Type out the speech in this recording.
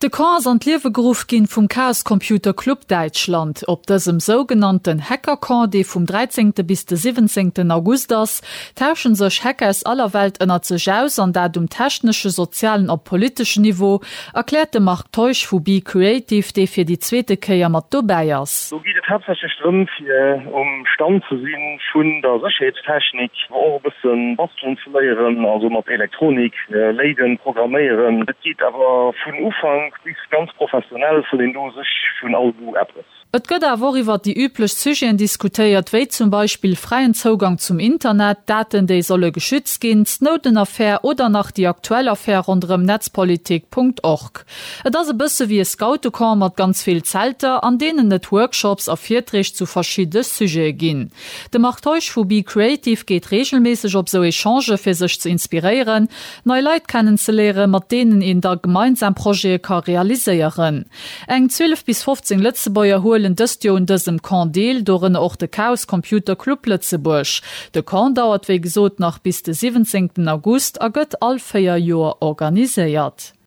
De Camp ass an d'Liewe geruff ginn vum Chaos Computer Club Däitschland. Op dësem sougenannten Hacker-Camp, dee vum 13. bis de 17. August ass, tauschen sech Hacker aus aller Welt ënnert sech aus, an dat um technesche, sozialen a politeschen Niveau, erkläert de Marc Teusch vu Be Creative, dee fir déi zweete Kéier mat dobäi ass. Do geet et haaptsächlech drëm, fir um Stand ze si vun der Sécherheetstechnik, awer och e bësse bastelen ze léieren, also mat Elektronik, léiden, programméieren. Et geet awer vun Ufank bis ganz professionell, vun een do sech vun all Goût eppes. Et gëtt awer och iwwer déi üblech Sujeten diskutéiert, wéi zum Beispill fräien Zougang zum Internet, Daten déi solle geschützt ginn, d'Snowden-Affär oder nach déi aktuell Affär ronderëm Netzpolitik. Org. Et ass e bësse wéi e Scoutecamp mat ganz vill Zelter, an deenen et Workshops a Virträg zu verschidde Sujete ginn. De Marc Teusch vu Be Creative geet reegelméisseg op sou Echangë fir sech ze inspiréieren, nei Leit kennenzeléieren, mat deenen een da gemeinsam Projete ka realiséieren. Eng 12 bis 15 Lëtzebuerger huelen dëst Joer un dësem Camp deel, dorënner och de Chaos Computer Club Lëtzebuerg. De Camp dauert wéi gesot nach bis de 17 August a gëtt all 4 Joer organiséiert.